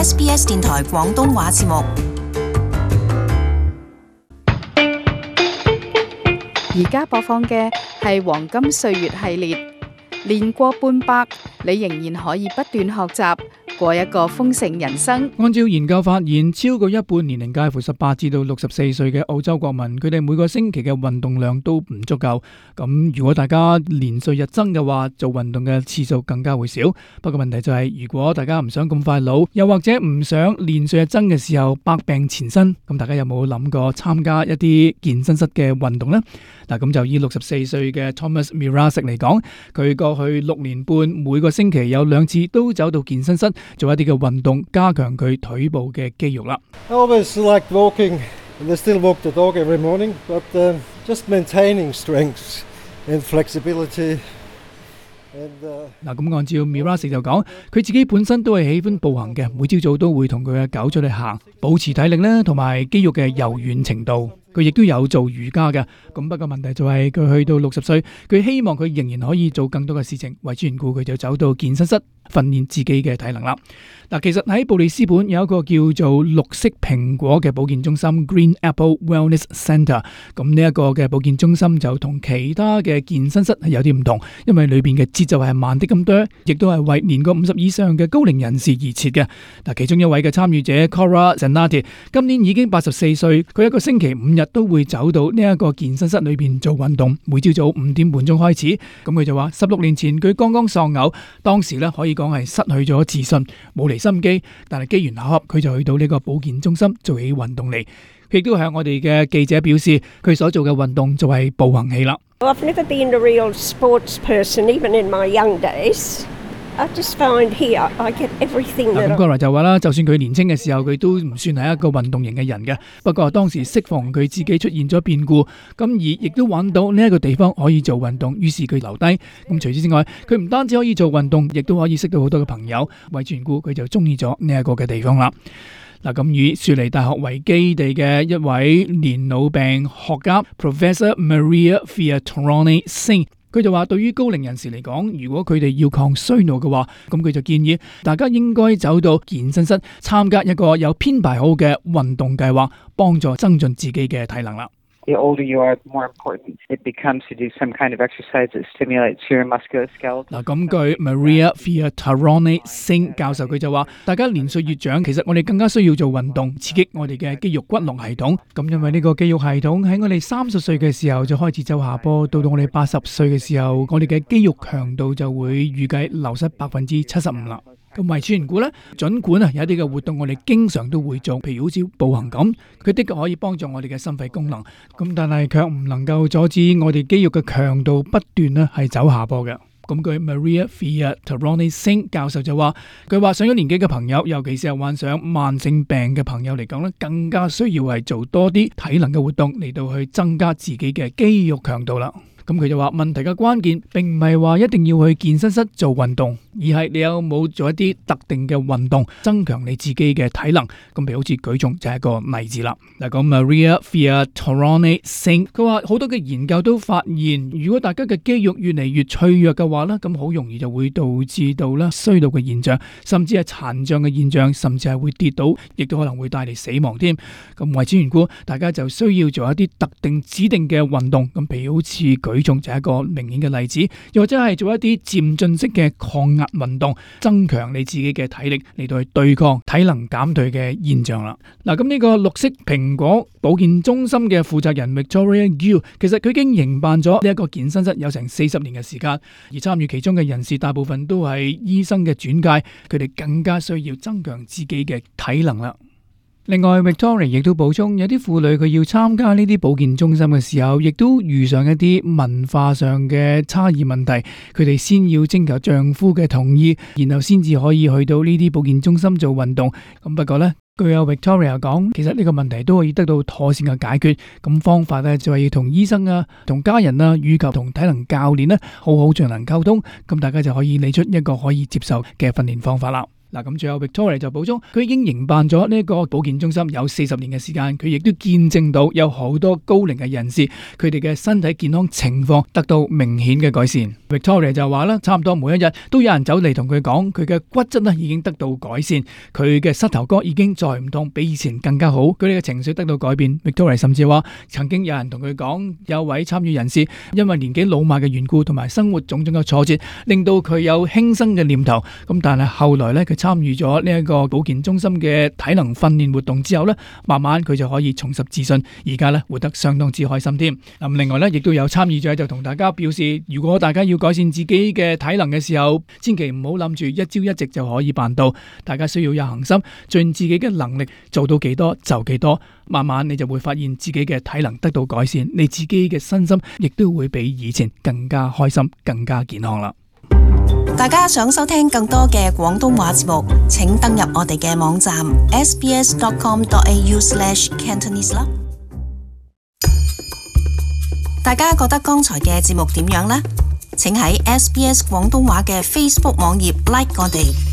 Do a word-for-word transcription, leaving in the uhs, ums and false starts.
S B S 電台廣東話節目。而家播放嘅係黃金歲月系列，年過半百，你仍然可以不斷學習，過一個豐盛人生。按照研究發現，超過一半年齡介乎十八至到六十四歲嘅澳洲國民，佢哋每個星期嘅運動量都唔足夠。咁如果大家年歲日增嘅話，做運動嘅次數更加會少。不過問題就係，如果大家唔想咁快老，又或者唔想年歲日增嘅時候百病纏身，咁大家有冇諗過參加一啲健身室嘅運動呢？嗱，咁就以六十四歲嘅 Thomas Mirasik 嚟講，佢過去六年半每個星期有兩次都走到健身室做一啲嘅運動，加強佢腿部嘅肌肉啦。I always liked walking, and I still walk the dog every morning, but um, just maintaining strength and flexibility. 嗱，咁按照 Mirasik 就講，佢自己本身都係喜歡步行嘅，每朝早都會同佢嘅狗出去行，保持體力咧，同埋肌肉嘅柔軟程度。佢亦都有做瑜伽嘅，咁不過問題就係佢去到六十歲，佢希望佢仍然可以做更多嘅事情，為此緣故佢就走到健身室訓練自己嘅體能啦。嗱，其實喺布里斯本有一個叫做綠色蘋果嘅保健中心 Green Apple Wellness Centre， 咁呢一個嘅保健中心就同其他嘅健身室係有啲唔同，因為裏邊嘅節奏係慢啲咁多，亦都係為年過五十以上嘅高齡人士而設嘅。嗱，其中一位嘅參與者 Cora Zanatti 今年已經八十四歲，佢一個星期五日都會走到呢一個健身室裏邊做運動，每朝早五點半鐘開始。咁佢就話十六年前佢剛剛喪偶，當時咧可以講係失去咗自信，冇嚟心機，但係機緣巧合，佢就去到呢個保健中心做起運動嚟。佢亦都向我哋嘅記者表示，佢所做嘅運動就係步行器啦。I've never been a real sports person, even in my young days. I just find here I get everything that I... 咁 Cora 就話啦，就算佢年輕嘅時候，佢都唔算係一個運動型嘅人嘅。不過當時適逢佢自己出現咗變故，咁而亦都揾到呢一個地方可以做運動，於是佢留低。咁除此之外，佢唔單止可以做運動，亦都可以識到好多嘅朋友。為緣故，佢就中意咗呢一個嘅地方啦。嗱，咁以雪梨大學為基地嘅一位年老病學家 Professor Maria Fiatoroni Singh，佢就話對於高齡人士嚟講，如果佢哋要抗衰老嘅話，咁佢就建議大家應該走到健身室參加一個有編排好嘅運動計劃，幫助增進自己嘅體能啦。The older you are, the more important it becomes to do some kind of exercise that stimulates your musculoskeletal. 嗱，咁據 Maria Fiatoroni Singh 教授佢就話，大家年歲越長，其實我哋更加需要做運動，刺激我哋嘅肌肉骨骼系統。咁因為呢個肌肉系統喺我哋三十歲嘅時候就開始走下坡，到到我哋八十歲嘅時候，我哋嘅肌肉強度就會預計流失百分之七十五啦。咁為此緣故咧，儘管啊有一啲嘅活動我哋經常都會做，譬如好似步行咁，佢的確可以幫助我哋嘅心肺功能，咁但係卻唔能夠阻止我哋肌肉嘅強度不斷咧係走下坡嘅。咁據 Maria Fiatoroni Singh 教授就話，佢話上咗年紀嘅朋友，尤其是係患上慢性病嘅朋友嚟講咧，更加需要係做多啲體能嘅活動嚟到去增加自己嘅肌肉強度啦。咁佢就話問題嘅關鍵並唔係話一定要去健身室做運動，而係你有冇做一啲特定嘅運動增強你自己嘅體能。咁譬如好似舉重就係一個例子啦。嗱，咁 Maria Fiatoroni Singh 佢話好多嘅研究都發現，如果大家嘅肌肉越嚟越脆弱嘅話咧，咁好容易就會導致到咧衰老嘅現象，甚至係殘障嘅現象，甚至係會跌倒，亦都可能會帶嚟死亡添。咁為此緣故，大家就需要做一啲特定指定嘅運動。咁譬如好似舉重就係一個明顯嘅例子，又或者係做一啲漸進式嘅抗壓運動，增強你自己嘅體力嚟到去對抗體能減退嘅現象啦。嗱，咁呢個綠色蘋果保健中心嘅負責人 Victoria Gill， 其實佢已經營辦咗呢一個健身室有成四十年嘅時間，而參與其中嘅人士大部分都係醫生嘅轉介，佢哋更加需要增強自己嘅體能啦。另外 Victoria 亦都補充，有啲婦女佢要參加呢啲保健中心嘅時候，亦都遇上一啲文化上嘅差異問題，佢哋先要徵求丈夫嘅同意，然後先至可以去到呢啲保健中心做運動。咁不過呢，據有 Victoria 講，其實呢個問題都可以得到妥善嘅解決。咁方法呢，就係要同醫生啊、同家人啊，以及同體能教練呢好好進行溝通，咁大家就可以理出一個可以接受嘅訓練方法啦。嗱，咁最後 Victoria 就補充，佢已經營辦咗呢一個保健中心有四十年嘅時間，佢亦都見證到有好多高齡嘅人士，佢哋嘅身體健康情況得到明顯嘅改善。Victoria 就話啦，差唔多每一日都有人走嚟同佢講，佢嘅骨質咧已經得到改善，佢嘅膝頭哥已經再唔痛，比以前更加好，佢哋嘅情緒得到改變。Victoria 甚至話，曾經有人同佢講，有位參與人士因為年紀老邁嘅緣故，同埋生活種種嘅挫折，令到佢有輕生嘅念頭。咁但係後來咧，佢參與咗呢一個保健中心嘅體能訓練活動之後咧，慢慢佢就可以重拾自信，而家咧活得相當之開心添。咁另外咧，亦都有參與者就同大家表示，如果大家要改善自己嘅體能嘅時候，千祈唔好諗住一朝一夕就可以辦到，大家需要有恒心，盡自己嘅能力做到幾多就幾多，慢慢你就會發現自己嘅體能得到改善，你自己嘅身心亦都會比以前更加開心、更加健康啦。大家想收聽更多嘅廣東話節目，請登入我哋嘅網站 s b s dot com dot a u slash cantonese 啦。大家覺得剛才嘅節目點樣呢？請喺 S B S 廣東話嘅 Facebook 網頁 like 我哋。